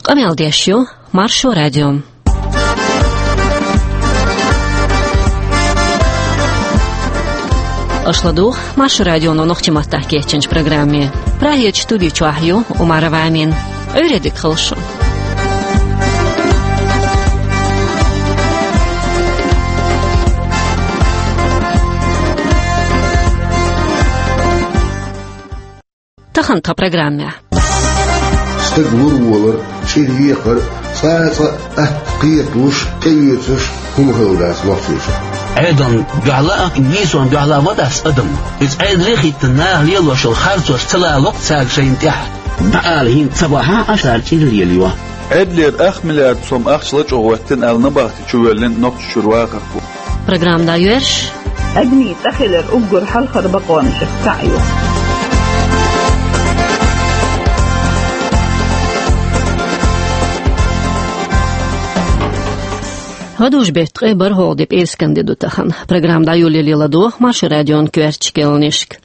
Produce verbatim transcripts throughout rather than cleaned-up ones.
Къамел деш ю Маршо радио. Аша ладугӀу Маршо радионо нохчийн маттахь кечйинчу программе. Прагерчу студи чохь ю Умарова Амина. Ӏуьйре дика хуьлда шун. Тахана тхан программехь. Стаг лур волар, чӀир екхар, цкъа а цкъа а атта кхеталуш, тӀеоьцуш хӀума хилла дац нохчийчохь. Ӏедална дуьхьал а, нийсонна дуьхьал а ма дац адам. Иза Ӏедале а хӀиттина, наха лелош йолу харцош ца лало-кх цаьрга шайна тӀехь. ДӀаала хӀинца ца бахьахь а, цара чӀир лелайо. Ӏедалера ах миллиард сом ахча лачкъо хӀоьттина аьлла, набахти чу воьллина нохчийн чуьра вахархо. Программа дӀайоьрзуш. Адамийн цӀа хилар уггар хьалхара бакъонашах цхьаъ ю. ГӀадужу-беттан ткъе бархӀалгӀа де, пӀераскан де ду тахана. Программа дӀайолале ладогӀа Маршо радион коьртачу кхаьънашка.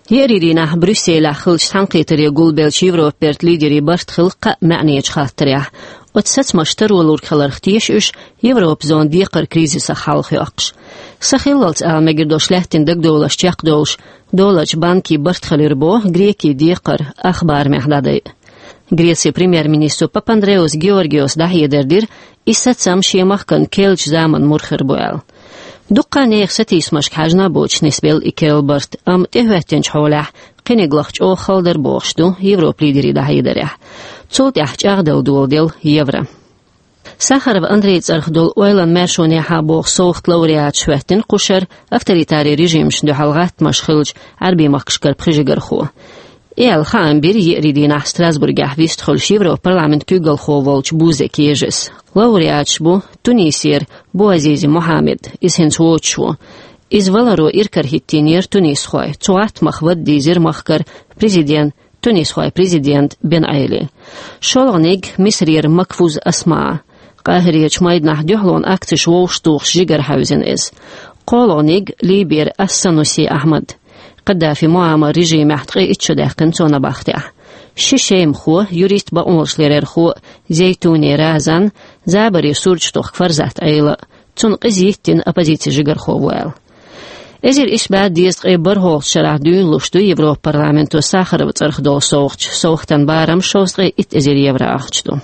Еарин дийнахь Брюсселехь хиллачу цхьаьнакхетаре гулбеллачу Европан бертан лидерийн барт хилла кхаа маьӀнечу хаттарехь. Оцу сацамаша таро лург хиларх теша уьш, Европан зона декхаран кризисах хьалхайоккхуш. Сахиллалц ала мегар долуш лаьттина дагадовларш чекхдолуш, долларчу банкийн барт хилира боху Грекин декхар ах барамехь дӀадайа. Грецин премьер-министро Папандреас Георгиоса дӀахьедар дира, и сацам шен махкана керлачу заманан мур хир бу аьлла. Дуккха а нехан сатийсамашка хьаьжна а боцуш нисбелла и керла барт, амма тӀехӀоьттинчу хьолехь кхиниг лаха чӀогӀа хала дара бохуш ду Европан лидерийн дӀахьедарехь. Цул тӀаьхьа чӀагӀдала доладелла евро. Сахаров Андрейн цӀарах долу ойланан маьршонехьа боху совгӀатан лауреаташ хӀоьттина кху шарахь авторитаран режимашна дуьхьал гӀаттамаш хиллачу Ӏаьрбийн махкашкара пхи жигархо. И аьлла хаам бира еарин дийнахь Страсбургехь вистхуьлуш Европарламентан куьйгалхо волчу Бузек Ежес. Лауреаташ бу Тунисера Буазизи Мухаммед, иза хӀинца воцуш ву. Иза валаро иракарахӀиттийнера тунисхой, цу гӀаттамах вада дийзира махкара президент, тунисхойн президент Бен Ӏели. ШолгӀаниг Мисрера Макфуз Асма. Къахьирерчу майданахь дуьхьалонан акцеш вовшахтухуш жигара хьаьвзина иза. КхоалгӀаниг Либера Ас-Сануси Ахьмад. Каддафин Муаммаран режимехь ткъе итт шо даьккхина цо набахтехь. Ши шемахо, юрист, бакъонашларъярхо Зейтуни Разан, забаре сурташ тохку Фарзат Ӏела, цунна къиза йиттина оппозицин жигархо ву аьлла. Эзар исс бӀе дезткъе бархӀолгӀачу шарахь дуьйна луш ду Европарламенто Сахаровн цӀарах долу совгӀаташ, совгӀатан барам шовзткъе итт эзар евро ахча ду.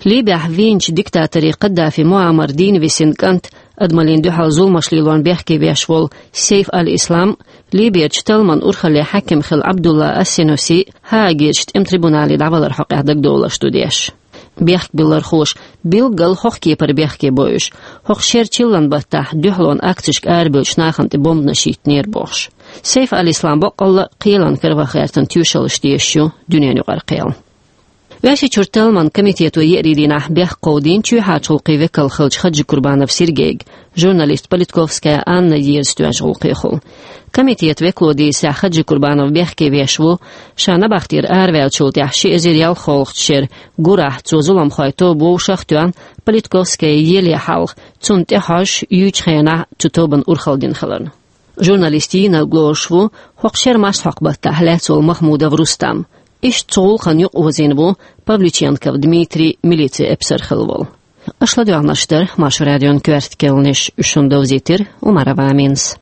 Либехь вийначу диктаторан Каддафин Муаммаран дийна висина кӀант, адамаллина дуьхьал зуламаш лелорна бехке веш волу Сейф аль-Ислам, Либерчу талламан урхаллин хьаькам хилла Ӏабдулла ас-Синуси Гаагерчу тӀеман трибунале дӀаваларан хьокъехь дагадовларш ду деш. Бехкбиллархоша билггал хӀокху кепара бехке бо уьш, хӀокху шеран чиллан баттахь дуьхьалонан акцешка арабевллачу нахана тӀе бомбанаш йиттинера бохуш. Сейф аль-Ислам баккъалла а кхелан караваха гӀертан тоьшаллаш тешаш ю дуьненан юкъара кхел. Оьрсийчуьра талламан комитето еарин дийнахь бехк кховдийна чоьхьарчу гӀуллакхийн векал хиллачу Хаджикурбанов Сергейга, журналист Политковская Анна еза тоьжна гӀуллакхехула. Комитетан векало дийцарехь, Хаджикурбанов бехке веш ву, ша набахтера араваьллачул тӀаьхьа ши эзар ялхолгӀачу шеран гурахь цо зуламхойн тоба вовшах а тоьхна, Политковская еле хьалха, цунна тӀехьожуш, юьйчу хенахь цу тобанан урхалла дина хиларна. Журналист йийнарг лоруш ву хӀокху шеран массахьокху баттахь лаьцна волу Махмудов Рустам. Иштта цу гӀуллакхана юкъаозийна ву Павлюченков Дмитрий, милицин эпсар хилла волу. Аша ладоьгӀнарш дара Маршо радион коьрта кхаьънаш, уьш шуна довзийтира Умарова Аминас.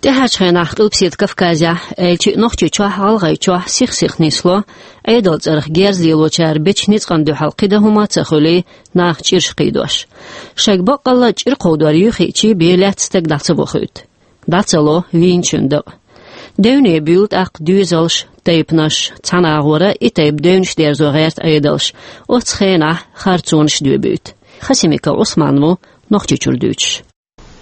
ТӀаьхьарчу хенахь Къилбаседа Кавказехь, аьлча а Нохчийчохь, ГӀалгӀайчохь сих-сиха нисло, Ӏедалан цӀарах герз лелочара бечу ницкъана дуьхьал кхин дан хӀума а ца хуьлий, наха чӀираш кхийдош. Шайга баккъалла а чӀир кховдор юьхьичий бен лаьцна стаг дӀа ца вохуьйту. ДӀа ца ло вийначун дакъа. Девне буьйлу тӀаккха доьзалш, тайпанаш, цхьана агӀора и тайпа девнаш дерзо гӀерта Ӏедалш, оццу хенахь харцонаш доьбуьйту. Хасимиков Ӏусман ву Нохчийчуьра дуьйцуш.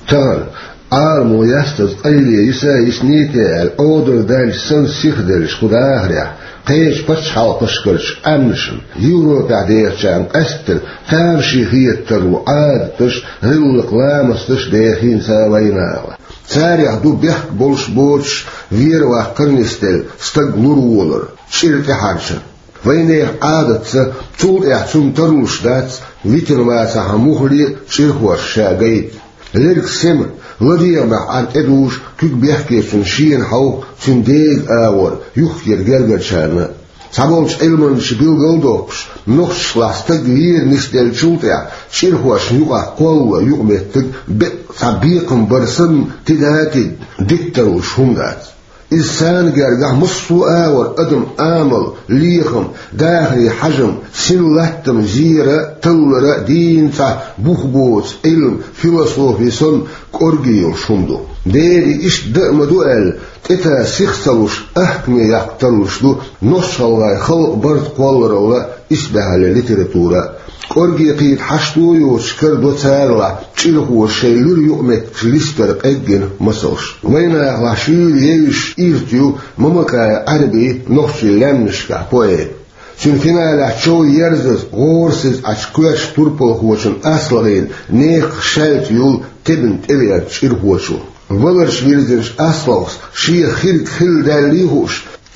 Тахана, Ӏаламо ястаза къайле йиса а йиснийта аьлла, Ӏодалла даьлча санна сиха деллачу кху дахарехь, кхечу пачхьалкхашкарчу Ӏаьмнашна, Европехь дехачарна къаьсттина тамашийна хетарг ву Ӏадаташ, гӀиллакх-ламасташ дехийна цара вайнахана. Царех ду бехк болуш боцуш, вер-ваккхар нисделла, стаг лур волар, чӀир тӀехьарчар. Вайнехан Ӏадатца, цул тӀаьхьа цунна таралуш дац, витина вацахьа муххале а чӀирхош ша гайта. Лерг сема, ЛадегӀамехь Ӏар тӀедужу куьг бехкечун шена хьовха цуьнан дега агӀор юххера гергарчарна. Цхьаболчу Ӏилманчаша билгалдоккхуш, нохчашлахь стаг вер нисделлачул тӀаьхьа чӀирхошна юкъахь кхоллало юкъаметтиг беккъа цхьа бекхам бар санна тида а тида диттарлуш хӀума дац. Иза царна гергахь массо а агӀор адам Ӏамал, лехам, дахаре хьажам, син латтам зера а, таллара а дийна цхьа бух боцу Ӏилма, философи санна кӀорге йолуш хӀума ду. Дера и иштта дан а ма ду аьлла, тӀетан сих ца луш, ахкаме яккха тарлуш ду нохчалхой халкъан барт кхолларалла исбаьхьаллин литература. КӀорге кхета хьашто а йоцуш карадо царалахь чӀирхоша шайн луьра юкъаметтигаш листара къеггина масалш. Вайнахалахь шуьйра евзаш ирт ю Мамакаев Ӏаьрби нохчийн лаьмнашкахь поэт. Цуьнан финалехь чов ерзаза, гӀорасиза Ӏачу коьртачу турпалхочун аслахьийна некха шаьлта юл тебина тӀеверзачу чӀирхочо. Валарш вирзинчу аслахьос шен хирг хилла даьллий хууш,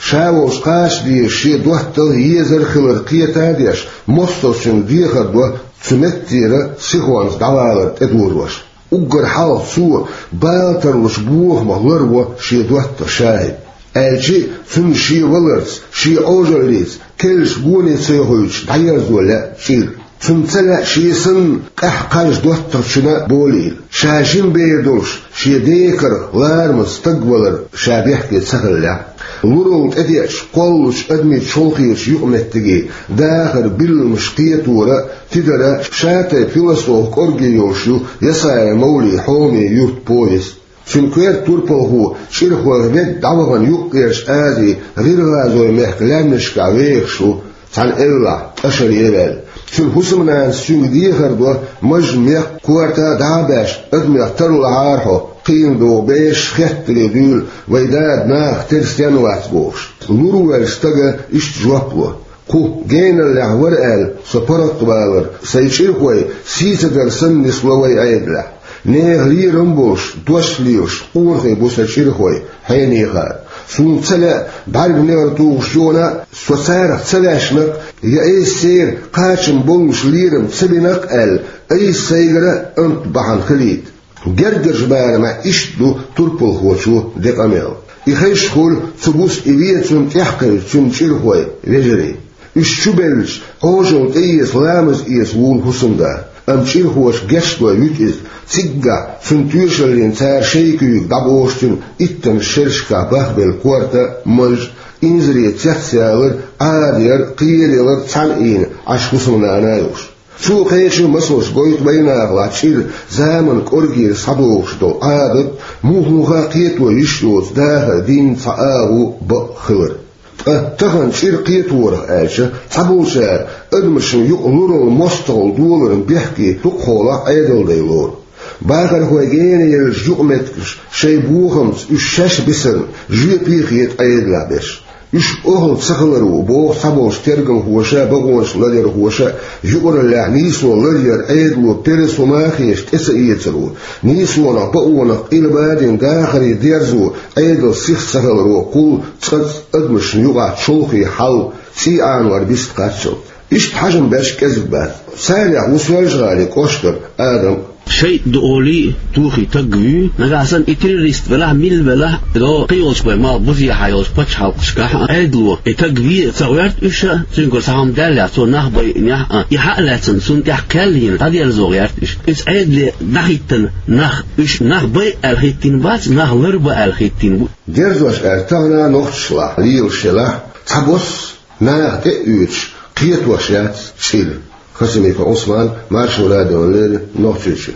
ша волуш кхача дезаш шен доттагӀа езар хилар кхета а деш, мостагӀчуьнга дехар до цу меттера сихонца дӀавалар тӀедожош. Уггар хьалха цо бала тарлуш бохамах ларво шен доттагӀа ШахӀид. Аьлча а, цунна шен валарца, шен Ӏожаллица, керлачу гоне ца йохуьйтуш дӀаерзо лаьа чӀир. Цунна ца лаьа шен санна къаьхьа кхаж доттагӀчунна болийла. Ша жима бер долуш, шен декарх ларамаза стаг валар ша бехке ца хиллехь. Луралла тӀедеачу кхоллучу адамийн чолхечу юкъаметтигийн дахар, билламаш кхетора а, тидара а шатайпа философ кӀорге йолуш ю Ясаев Мовлин «Хьоме юрт» повесть. Цуьнан коьрта турпалхо чӀирхойх ведда дӀавахана Юккъерчу Азин ГӀиргӀазойн мехкан лаьмнашкахь вехаш ву, цхьана эвлахь, тӀашаре а ваьлла. Цуьнан хӀусамнанас цуьнга дехар до, мажа мекх, корта дӀа а баьш, адамех тарлахьара хьо, кхиъна догӀу бешаш хеттаре дуьйла, вайн дада нахах тера стенна вац бохуш. Лур волчу стага иштта жоп ло: «Кху геналлехь вара аьлла, со паргӀатвалар, сайн чӀирхой сий ца дар санна нисло вайн Ӏедалехь. Нехан лерам а болуш, дош а лелаш, къонахий бу сан чӀирхой, хьенехара. Суна ца лаьа бӀаьрганегӀар тухуш йогӀана а, со царах ца ваьшна-кх, я айса церан кхачам боллуш лерам ца бина-кх аьлла, айса сайгара а амат бахьана хилийта». Гергарчу барамехь иштта ду турпалхочо де къамел. И хезаш хуьлу цу буса и вен цунна тӀекхевшинчу цуьнан чӀирхойн вежарий. Уьш чубевлча, Ӏожалла тӀеэца, ламаз эца вуьйлу хӀусамда. Амма чӀирхоша гечдой вуьту иза. Циггахь цунна тоьшаллина цара шайн куьйга дӀабохуш цуьнан иттаннаш шерашкахь бахбелла корта а, маж а, инзаре цецъялар а, Ӏадаяр а, кхераялар а цхьаьна ийна Ӏаш хӀусамнана а йолуш. Цо кхечу масалш гойту вайнахалахь чӀир заманан кӀоргера схьадогӀуш долу Ӏадат, муха-муха а кхето йиш йоцу дахар дийнна цхьа агӀо, бакъ хилар. Ткъа тахана чӀир кхеторах аьлча, цхьаболчара адамашна юкъа луралла, мостагӀалла доларна бехке дукхахьолахь Ӏедалдайн лору. Бахархой генаеллачу юкъаметтигаш шайн бохамца уьш шаьш бисарна жоьпе а хета Ӏедалехь берш. Уьш охьа ца хилар ву, боху цхьаболчу тергамхоша а, бакъонаш ларъярхоша а, юкъараллехь нийсо ларъяр Ӏедало пересо ма хеташ тӀе ца эцар ву. Нийсонах, бакъонах къилбадина дахаре дерзо Ӏедалан сих ца хиларо кхуллу цкъацкъа адамашна юкъахь чолхе хьал, цӀий Ӏанор бист кхаччалц. Иштта хьажам беш кӀезиг бац. Царех ву Соьлжа-ГӀалин кӀоштара Адам. ШайтӀа ду олий, тухий таг вуьй, нагахь санна и террорист велахь, милла велахь, до кхийолчу бай мал бузехьа йолчу пачхьалкхашкахь а, Ӏедало и таг ве а ца гӀерта уьш а, цуьнгара цхьа хӀума даьллехь, цо нах байъинехь а, и хьа а лаьцна, цунна тӀехь кхел йина дӀадерзо гӀерта уьш. Иза Ӏедале дӀахӀиттина нах, уьш нах байъа аьлла хӀиттийна бац, нах ларба аьлла хӀиттийна бу. Дерзош аьлча, тахана нохчашлахь лелаш елахь, цхьабосса наха тӀе а оьцуш, кхетош яц чӀир. Хасимиков Ӏусман, Маршо радиона леррина, Нохчийчоь.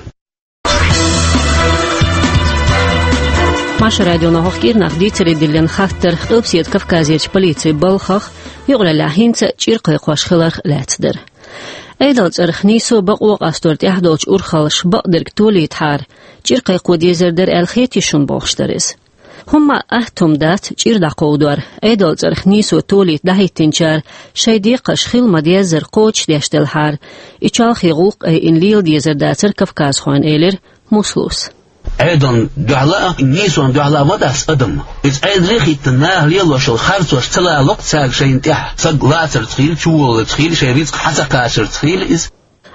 Маршо радионо хӀокху кӀирнах дийцаре диллина хаттар Къилбаседа Кавказерчу полицин балхах, юкъараллехь хӀинца а чӀир кхайкхош хиларх лаьцна дара. Ӏедалан цӀарах нийсо, бакъо къастор тӀехь долчу урхаллаша бакъдерг толийтахьара, чӀир кхайкхо дезар дара аьлла хетий шуна, бохуш дара иза. ХӀумма а атта хӀума дац чӀир дӀакховдор. Ӏедалан цӀарах нийсо толийта дӀахӀиттинчара шайн декхарш хила ма-деззара кхочушдеш делахьара, и чолхе гӀуллакх айина лела дезар дацара кавказхойн, элира Муслус. Ӏедална дуьхьала а, нийсонна дуьхьала а ма дац адам. Иза Ӏедале а хӀиттина, наха лелош йолу харцош ца лало-кх цаьрга шайна тӀехь, саг лацарца хуьлийла, чуволларца хуьлийла, шайн рицкъ хьа ца кхачарца хуьлийла иза.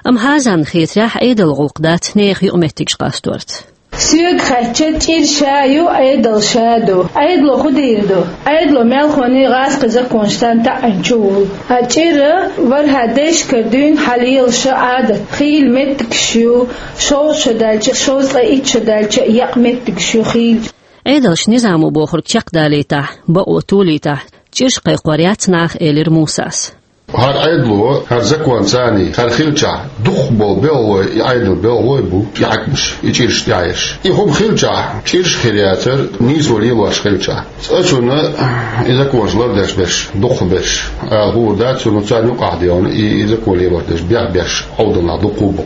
Амма хӀазанна хетарехь, Ӏедалан гӀуллакх дац нехан юкъаметтигаш къасторца. Соьга хаьттича, чӀир ша ю, Ӏедал ша ду. Ӏедало хӀун дийр ду? Ӏедало мелхо а, гӀазкхий законаш а таӀийна чу волу. А чӀир вархӀа дешкара дуьйна хьалелаш Ӏадат. Хийла меттигаш ю, шовзткъа шо даьлча, шовзткъе итт шо даьлча, екъа меттигаш ю хийла. Ӏедалша низамо бохург чекхдалийтахь, бакъо толийтахь, чӀираш кхайкхор яц наха, элира Мусас. ХӀара Ӏедало, хӀара закон царний, хӀара хилчахь, дукхахболу белхалой, и Ӏедалан белхалой а бу, и хьаькамаш, и чӀираш тӀехь еш. И хӀума хилчахь, чӀираш а хир яцара, нийсо лелош хилчахь. Цкъачунна и законаш лардеш берш, дукхахберш, ала хуур дац, цунна царна юкъахь дегӀана и, и закон лелош дерш, бехберш, Ӏовдалнах дукха бу.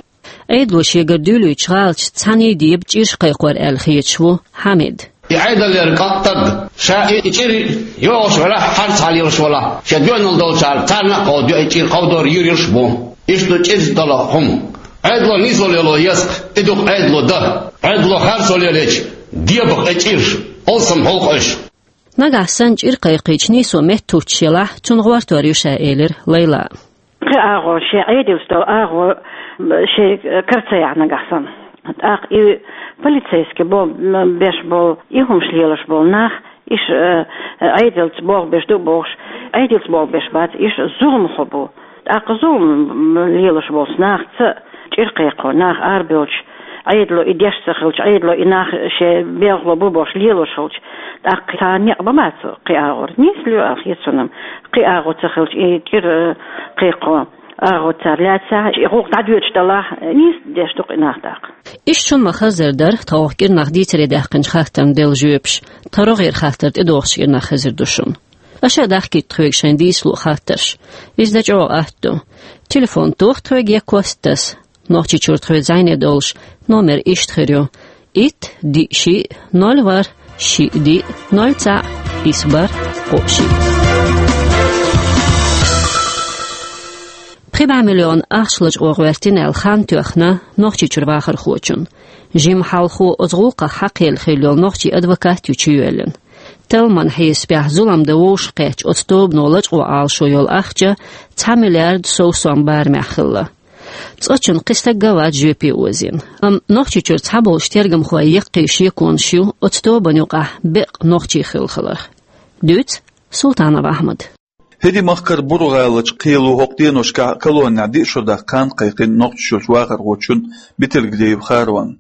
Ӏедало шегара дуьйлуьйтучу гӀалаташца цхьаьний деба чӀираш кхайкхор аьлла хеташ ву Хьамид. И Ӏедалера кӀант стаг, ша и, и чӀир йогӀуш велахь, хьарца хьалелаш велахь, шен доьналла долчара царна а кховдайо, и чӀир кховдор юьрш бу. Иштта чӀирца долу хӀума. Ӏедало нийсо лело еза-кх, и ду-кх Ӏедалан дан. Ӏедало харцо лелийча, дебагӀа и чӀираш, алсам хьулкъаш. Нагахь санна чӀир кхайкхийча нийсо меттахӀуттуш елахь, цунна гӀортор ю ша, элира Лайла. Кхин агӀо шен Ӏедалца долу агӀо шен кара ца яхь нагахь санна. ТӀаккха и полицейский бо-, беш болу, и хӀумаш лелаш болу нах, иш, э, Ӏедалца болх беш ду бохуш, Ӏедалца болх беш бац, иш зуламхо бу. ТӀаккха зулам лелаш болчу нахаца чӀир кхайкхо, нах арабевлча, Ӏедало и деш ца хилча, Ӏедало и нах шен белхало бу бохуш лелош хилча, тӀаккха цхьа некъ ма бац кхин агӀор. Нийса ло аьлла хета суна-м, кхин агӀо ца хилча, и чӀир, э, кхайкхо агӀо цара лаьцахь, и гӀуллакх дӀадоьдуш далахь, нийса деш ду кхин нах тӀаккха. Иштта шуна ма-хаззара дара тховх кӀирнах дийцаре даьккхинчу хаттарна делла жоьпаш, тхан рогӀера хаттар тӀедогӀучу кӀирнах хезар ду шуна. Аша а дахкийта тхоьга шайн дийцало а, хаттарш. Иза дан чӀогӀа атта ду. Телефон тоха тхоьга я кост таса. Нохчийчуьра тхоьца зӀене долуш номер иштта хир ю: итт, диъ, шиъ, ноль, ворхӀ, шиъ, диъ, ноль, цхьаъ, исс, бархӀ, кхоъ, шиъ. Пхи бӀе миллион ахча лачкъо гӀоьртина аьлла хан тоьхна Нохчийчуьра вахархочунна. Жимма хьалхо оцу гӀуллакхах хьакхаелла хилла йолу нохчийн адвокат ю чуйоьллина. Талламан хьесапехь зулам дан вовшахкхеттачу оцу тобано лачкъо Ӏалашо йолу ахча цхьа миллиард сов сом барамехь хилла. Цкъачунна кхин стаг а вац жоьпе озийна. Амма Нохчийчуьра цхьаболчу тергамхойн яккхий шеконаш ю оцу тобанна юкъахь беккъа нохчий хилла хиларх. Дуьйцу Султанов Ахьмада. ХӀирийн махкара Буро-ГӀаларчу кхело хӀокху деношкахь колонехь диъ шо даккха хан кхайкхина Нохчийчуьрчу вахархочунна Бетельгреев Харона.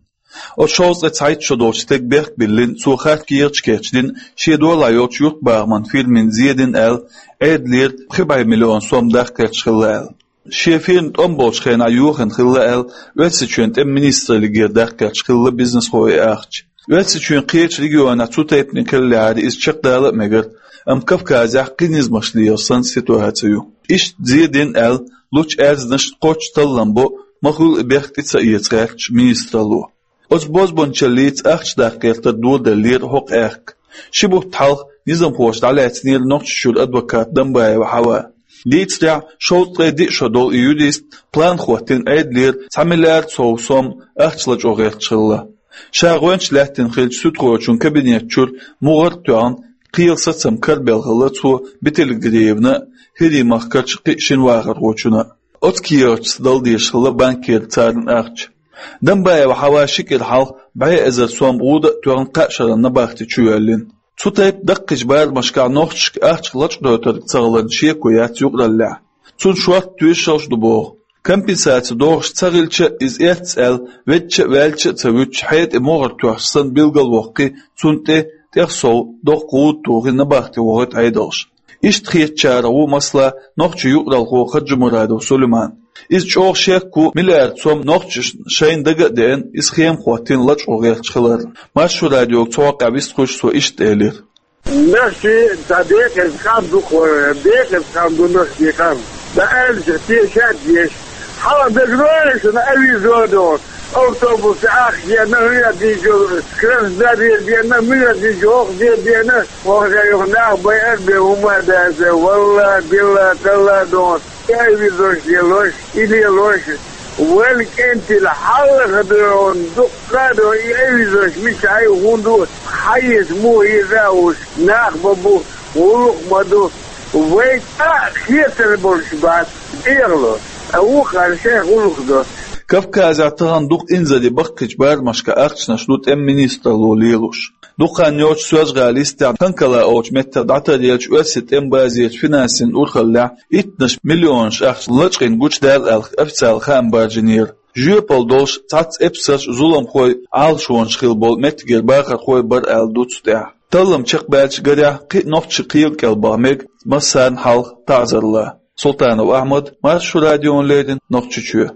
Оцу шовзткъе цхьайтта шо долчу стеган бехк биллина, цо харц кехаташ кечдина шен долахь йолчу юьртбахаман фирмина зен дина аьлла, Ӏедалера пхи бӀе миллион сом даккха гӀерташ хилла аьлла. Шен фирма тӀом болчу хенахь йохийна хилла аьлла, Оьрсийчоьнан тӀеман министраллигера даккха гӀерташ хилла бизнесхойн ахча. Оьрсийчоьнан кхечу регионехь цу тайпаниг хиллехьара, иза чекхдала а мегара, амма Кавказехь кхин низамаш лелаш санна ситуаци ю. Иштта зен дина аьлла, лучу аьрзнашна кхоччуш таллам бо, ма-хуьллу и бехк тӀе ца эца гӀерташ министралло. Оцу бозбуунчаллица ахча даккха гӀертар дӀадоладеллера хӀокху аьхка. Ши бутт хьалха низамхоша дӀалаьцнера Нохчийчуьра адвокат Дамбаева Хьава. Дийцарехь, шовзткъе диъ шо долу и юрист план хӀоттийна Ӏедалера цхьа миллиард сов сом ахча лачкъо гӀерташ хилла. Ша гӀоьнча лаьттина хиллачу суьдхочун кабинет чуьра мугӀар а тоьхна, кхелан сацам карабелла хилла цо Бетельгреевна а, ХӀирийн махкарчу кхин шина вахархочунна а. Оцу кехаташца дала дезаш хилла банкера царна ахча. Дамбаева Хьава ши кӀира хьалха бӀе эзар сом гӀуда а тоьхна, кхаа шарна набахти чуйоьллина. Цу тайпа даккхийчу барамашкахь нохчашка ахча лачкъадойтург ца хиларна шеко яц юкъараллехь. Цунна шорта тоьшаллаш а ду боху. Компенсаци догӀуш ца хилча а, иза эцна аьлла, веддача а, ваьллача а ца вуьтуш, хьетӀе могӀар тоьхча санна билгалвоккхий, цунна тӀе, тӀех сов доккха гӀуда тухий, набахти вохуьйту Ӏедалша. Иштта хетачарах ву, масала, нохчийн юкъаралхо Хаджимурадов Сулейман. Иза чӀогӀа шек ву, миллиард сом нохчашна шайна дага а деана, иза схема хӀоттийна лачкъо гӀерташ хиларна. Маршо радиога цу хьокъехь вистхуьлуш, цо иштта элира: Нохчий цхьа декъаза хан ду-кх, декъаза хан ду нохчийн хан. Дан аьлча, те шаьтта деш. Хьала дагадогӀий шуна, авизо догӀу. Автобус ахча денна, хӀоьттинчул Краснодаре денна, моьттинчул хӀокху де денна, хӀокху юха нах байар бен хӀума а дац, валла, билла, талла а догӀу. И авизош лелош, и лелош, вайн кӀентий хьалха а догӀу, дуккха а догӀу, и авизош мичахь ю, хӀунда ду, хьан еза, муха еза а уьш, нах бан бу, гӀуллакх ма ду, вай цкъа а хетар болуш бац, тӀехьало, ткъа вукхара шайн гӀуллакх до. Кавказехь тахана дукха инзаре баккхийчу барамашкахь ахчанаш ду тӀеман министралло лелош. Дукха хан йоццуш Соьлжа-ГӀалин йистехь Канкалаевчу меттах дӀатаръеллачу оьрсийн тӀеман базерчу финансийн урхаллехь иттанаш миллионаш ахча лачкъийна гучудаьлла аьлла официалан хаам баржийнера. Жоьпалла долуш цхьацца эпсарш а, зуламхой а Ӏалашонаш хилла болу меттигера бахархой а бара аьлла ду цу тӀехь. Таллам чекхбаьллачу гарехь, кхин а нохчаша кхел кӀел баха мега массарна хьалха таӀзар лан. Султанов Ахьмад, Маршо радиона леррина, Нохчийчоь.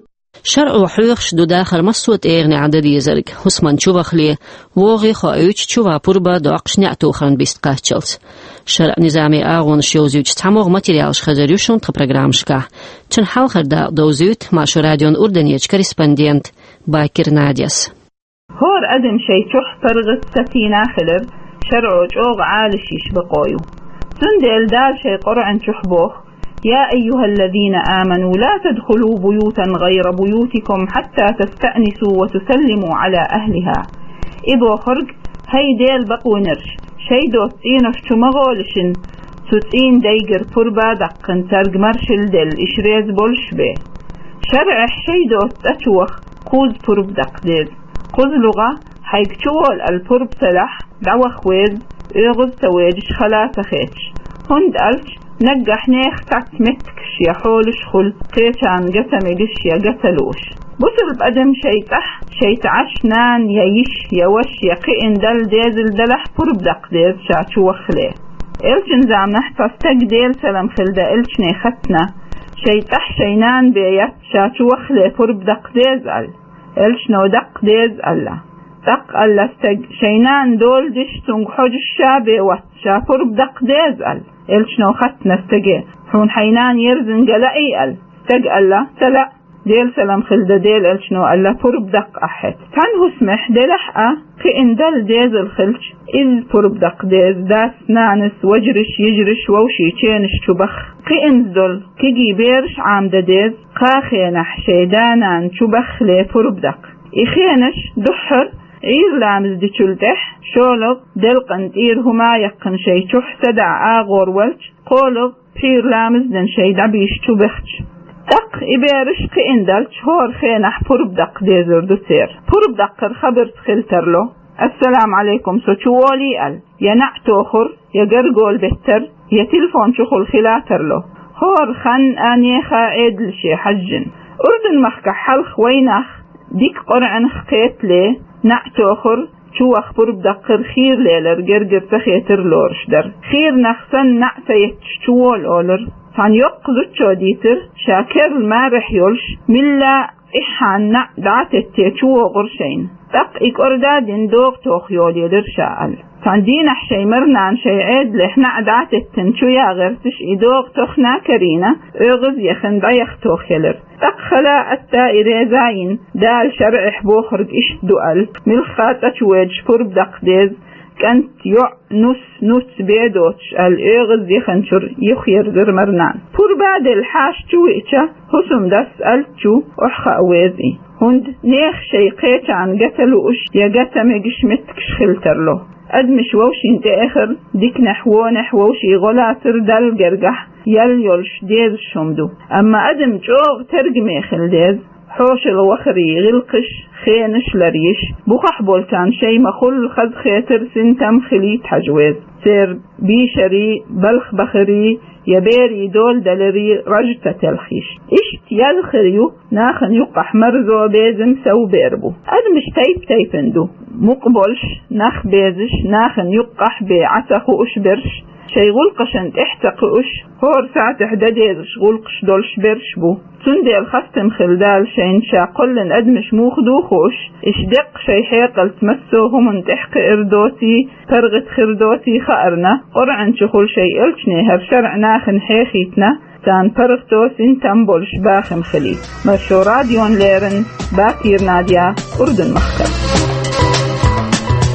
ШарӀо хьоьхуш ду дахар массо а тӀегӀанехь дан дезарг, хӀусамна чувахале, вогӀий хоуьйтуш, чуван пурба доккхуш неӀ тохарна бист кхаччалц. ШарӀан низамийн агӀонаш йовзуьйтуш цхьамогӀа материалаш хезар ю шуна тхан программашкахь. Цуьнан хьалхара дакъа довзуьйту Маршо радион Урданерчу корреспондента Бакир Надяс. ХӀора адам шайн чохь паргӀат сатийна хилар шарӀо чӀогӀа Ӏалашйеш бакъо ю. Цундела Дала шайн Къуръан чохь боху: «يا أيها الذين آمنوا لا تدخلوا بيوتا غير بيوتكم حتى تستأنسوا وتسلموا على أهلها». И бохург: «ХӀай Делан бакъвинарш, шайн доцу цӀенош чу ма гӀолашийша, цу цӀийн дайгара пурба а даккхина, цаьрга маршалла делла, уьш реза болуш бен». ШарӀехь шайн доцу цӀа чу ваха кхузза пурба даккха деза. Кхузза лугӀа, хьайга чу волу аьлла пурба ца дахь, дӀаваха веза, оьгӀаз а ца вежаш, хала а ца хеташ. ХӀунда аьлча наггахь нехан цхьацца меттигаш я хьолаш хуьлу, кхечарна ган ца мегаш я ган ца лууш. Бусалба адам шайн цӀахь, шайца Ӏаш нана я йиша я ваша я кхиъна Далла дезал делахь, пурба даккха деза ша чу ваххале. Элчан заманахь цхьа стаг, Делан салам хилла дан элчане, хаттина: «Шайн цӀахь шайн нана бен яц, ша чу ваххале пурба даккха деза?» аьлла. Элчано: «Даккха деза», аьлла. ТӀаккха аьлла стага: «Шайн нана дола деш, цуьнга хьожуш ша бен вац, ша пурба даккха деза», аьлла. Элчано хаттина стаге: «Хьуна хьайн нана ерзина ган лаьий?» аьлла. Стага аьлла: «Ца лаьа, Делан салам хилла дан Делан элчано аьлла, пурба даккха ахь хӀета». Цхьана хӀусамехь делахь а, кхиъна Далла дезал хилча, изза пурба даккха деза, дас-нанас, вежарш, йижарш, вовшийн ченаш чу баха. Кхиъна долу кегий бераш Ӏамадан деза, кхаа хенахь шайн да-нана чу баххале пурба даккха. И хенаш дуьххьара Ӏуьйра ламаз дечул тӀаьхьа, шолгӀа делкъан тӀера хӀума а яьккхина шайн чохь садаӀа агӀор ваьлча, кхоалгӀа пхьуьйра ламаз дина шайн дӀабийша чу бахча. ТӀаккха и бераш кхиъна даьлча, хӀора хенахь пурба даккха дезар ду церан. Пурба даккхар хабарца хила тарло: «Ассаламу Ӏалайкум, со чу волий?» аьлла, я наӀ тохур, я гаргол беттар, я телефон чухула хила тарло. ХӀора хан а, нехан а Ӏедалше хьаьжжина. Урдун-махкахь хьалха вайнах дика Къуръанах кхетале, наӀ тохур, чу ваха пурба даккхар хийра лелар гергара ца хетар лоруш дара. Хийра нах санна наӀ ца етташ чу вола олура. Цхьана йоккха зудчо дийцира, ша керла марехь йолуш, милла тӀаьххьана наӀ дӀа а тетте чу вогӀура шайна. ТӀаккха и кӀорда а дина догӀа тоха йолаелира ша аьлла. Цхьана дийнахь шайн марнана шайн Ӏедалехь наӀ дӀа а теттина чу ян гӀерташ, и догӀа тохна а карийна, оьгӀаз а яхана, дӀаяха тохаелира. ТӀаккха хала а, атта а и реза а йина, Дала шарӀехь бохург иштта ду аьлла, муьлхха а цӀа чу воьдуш пурба даккха деза, кӀант, йоӀ, нус, нуц бен доцуш аьлла, оьгӀаз а яханчуьра юхаерзира марнана. Пурба а делла хьаша чу веача, хӀусамдас аьллачу охьахаа веза и. ХӀунда нехан шайн кхечарна ган ца лууш я ган ца мегаш меттигаш хила тарло. Адамаш вовшийн тӀеэхар, диканехь, вонехь вовшийн гӀо лацар Далла гергахь ял йолуш дезаш хӀума ду. Амма адам чӀогӀа тергаме хила деза, хьошалгӀа вахарийн гӀиллакхаш, хенаш ларйеш, бухахь болчарна шайн ма-хуьллу хазахетар, синтем хилийта хьажа веза. Церан бийшарийн, балхабахарийн я берийн дола даларийн раж ца телхийша. Иштта ял хир ю нахана юккъахь марзо, безам, сов бер бу. Адамаш тайп-тайпана ду: мукъа болуш, нах безаш, нахана юккъахь бен Ӏа ца хууш берш, шайн гӀуллакхашна тӀаьхьа ца кхуьуш, хӀора сацехь дан дезаш гӀуллакхаш долуш берш бу. Цундела хастам хила Дала шайна, ша кхоьллина адамаш муха ду хууш, иштта деккъа шайн хьекъалца массо а хӀуманна тӀаьхьакхиар доций, паргӀат хир доций хаарна, Къуръан чухула шайн элчане хӀара шарӀ нахана хьехийтина, царна паргӀато, синтем болуш бахам хилийта. Маршо радиона леррина Бакир Надя, Урдун-махкара.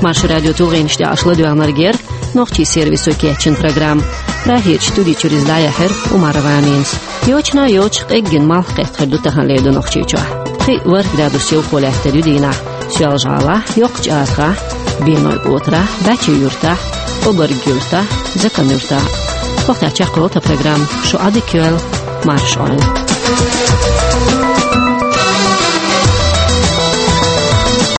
Маршо радион тулгӀенаш тӀехь аша ладоьгӀнарг яра нохчийн сервисо кечйина программа. Прагерчу студи чуьра иза дӀаяьхьира Умарова Аминас. Йочана йоцуш къеггина малх кхетта хир ду таханлера ду Нохчийчохь. Пхи-ворхӀ градус йовхо лаьттар ю дийнахь Соьлжа-ГӀалахь, Йоккхачу Арахь, Бенойн Къотарахь, Дачи-Юьртахь, Обарг-Юьртахь, Закан-Юьртахь. ХӀокху тӀехь чекхйолу тхан программа. Шу Ӏадика йойла, марша Ӏойла.